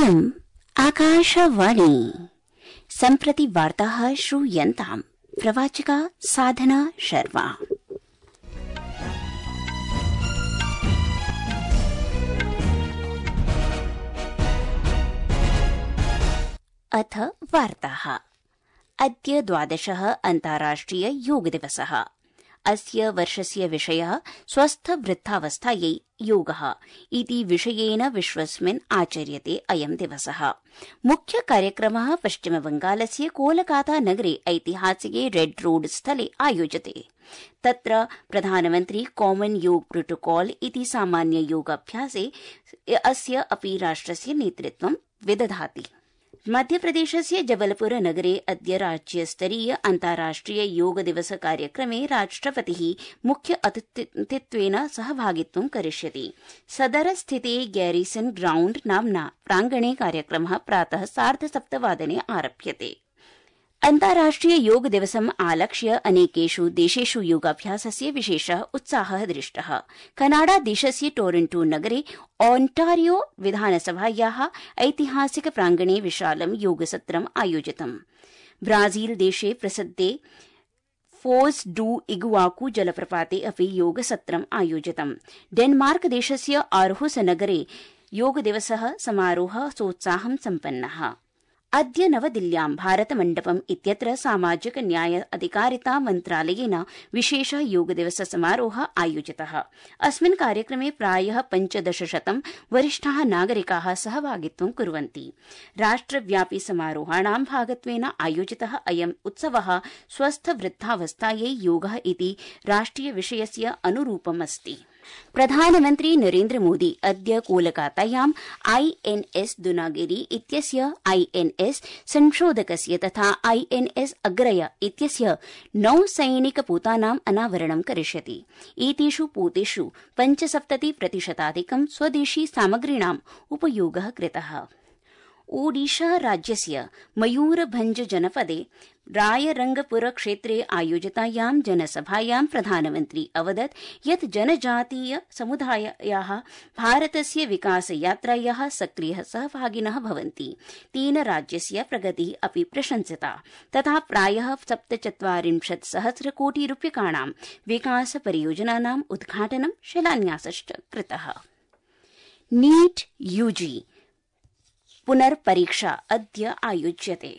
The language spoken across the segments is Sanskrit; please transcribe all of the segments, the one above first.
इयम् आकाशवाणी। सम्प्रति वार्ताः श्रूयन्ताम्। प्रवाचिका साधना शर्मा। अथ वार्ताः। अद्य 12 अन्ताराष्ट्रिय योग दिवसः। अस्य वर्षस्य विषयः स्वस्थ वृद्धावस्थायै योगः इति विषयेन विश्वस्मिन् आचर्यते अयं दिवसः। मुख्य कार्यक्रमः पश्चिमबंगालस्य कोलकाता नगरे ऐतिहासिके रेड रोड स्थले आयोज्यते। तत्र प्रधानमन्त्री कॉमन योग प्रोटोकॉल इति सामान्य योगाभ्यासे अस्य अपि राष्ट्रस्य नेतृत्वं विदधाति। मध्यप्रदेशस्य जबलपुर नगरे अद्य राज्यस्तरीय अन्ताराष्ट्रिय योग दिवस कार्यक्रमे राष्ट्रपतिः मुख्य अतिथित्वेन सहभागित्वं करिष्यति। सदरस्थिते गैरिसन ग्राउण्ड नाम्ना प्राङ्गणे कार्यक्रमः प्रातः 7:30 आरभ्यते। अन्ताराष्ट्रिय योग दिवसम् आलक्ष्य अनेकेषु देशेषु योगाभ्यासस्य विशेषः उत्साहः दृष्टः। कनाडा देशस्य टोरंटो नगरे ओंटारियो विधानसभायाः ऐतिहासिक प्राङ्गणे विशालं योगसत्रम् आयोजितम्। ब्राजील देशे प्रसिद्धे फोज डू इगुआकू जलप्रपाते अपि योगसत्रम् आयोजितम्। डेनमार्क देशस्य आर्हुस नगरे योगदिवसः समारोहः सोत्साहं सम्पन्नः। अद्य नवदिल्ल्यां भारतमण्डपम् इत्यत्र सामाजिक न्याय अधिकारिता मन्त्रालयेन विशेष योगदिवस समारोहः आयोजितः। अस्मिन् कार्यक्रमे प्रायः 1500 वरिष्ठाः नागरिकाः सहभागित्वं कुर्वन्ति। राष्ट्रव्यापी समारोहाणां भागत्वेन आयोजितः अयम् उत्सवः स्वस्थ वृद्धावस्थायै योगः इति राष्ट्रिय विषयस्य अनुरूपमस्ति। प्रधानमन्त्री नरेन्द्र मोदी अद्य कोलकातायां INS दुनागिरी इत्यस्य INS संशोधकस्य तथा INS अग्रय इत्यस्य नौसैनिकपोतानाम् अनावरणं करिष्यति। एतेषु पोतेषु 75% स्वदेशी सामग्रीणाम् उपयोगः कृतः। ओडिशा राज्यस्य मयूरभंज जनपदे रायरंगपुर क्षेत्रे आयोजितायां जनसभायां प्रधानमन्त्री अवदत् यत् जनजातीय समुदायाः भारतस्य विकासयात्रायाः सक्रियः सहभागिनः भवन्ति। तेन राज्यस्य प्रगतिः अपि प्रशंसिता तथा प्रायः 47,000 कोटि रूप्यकाणां विकासपरियोजनानाम् उद्घाटनं शिलान्यासश्च कृतः। नीट यूजी पुनर्परीक्षा अद्य आयोज्यते।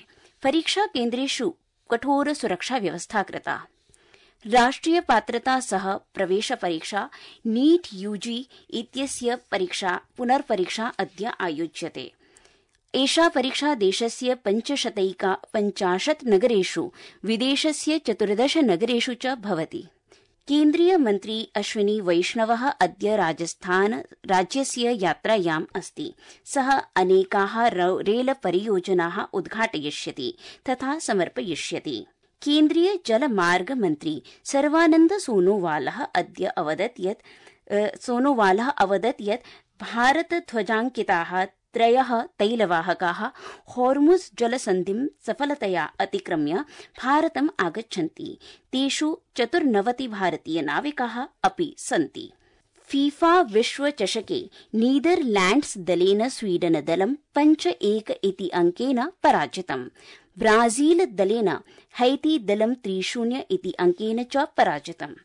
परीक्षा केन्द्रेषु कठोर सुरक्षा व्यवस्था कृता। राष्ट्रिय पात्रता सह प्रवेश परीक्षा नीट यूजी इत्यस्य पुनर्परीक्षा अद्य आयोज्यते। एषा परीक्षा देशस्य 550 नगरेषु विदेशस्य 14 नगरेषु च भवति। केन्द्रीय मन्त्री अश्विनी वैष्णवः अद्य राजस्थान राज्यस्य यात्रायाम् अस्ति। सः अनेकाः रेल परियोजनाः उद्घाटयिष्यति तथा समर्पयिष्यति। केन्द्रीय जलमार्ग मन्त्री सर्वानन्द सोनोवालः अद्य अवदत् यत् भारतध्वजाङ्किताः 3 तैलवाहकाः हॉर्मुज़ जलसन्धिं सफलतया अतिक्रम्य भारतम् आगच्छन्ति। तेषु 94 भारतीयनाविकाः अपि सन्ति। फीफा विश्वचषके नीदरलैंड्स दलेन स्वीडन दलं 5-1 इति अंकेन पराजितम्। ब्राजील दलेन हैती दलं 3-0 इति अंकेन च पराजितम्।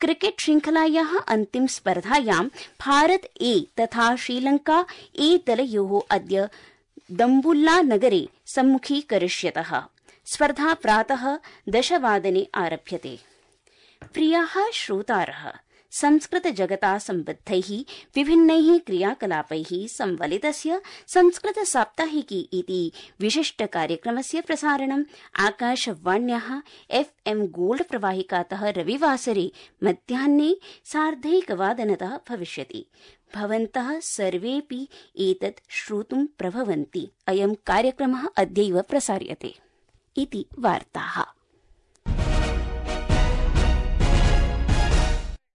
क्रिकेट श्रृंखलायाः अन्तिम स्पर्धायां भारत ए तथा श्रीलंका ए दलयोः अद्य दम्बुल्ला नगरे सम्मुखीकरिष्यतः। स्पर्धा प्रातः 10 आरभ्यते। प्रियाः श्रोतारः, संस्कृत जगता सम्बद्धैः विभिन्नैः क्रियाकलापैः संवलितस्य संस्कृत साप्ताहिकी इति विशिष्ट कार्यक्रमस्य प्रसारणम् आकाशवाण्याः FM गोल्ड प्रवाहिकातः रविवासरे मध्याह्ने 1:30 भविष्यति। भवन्तः सर्वेऽपि एतत् श्रोतुं प्रभवन्ति। अयं कार्यक्रमः अद्यैव प्रसार्यते इति वार्ताः।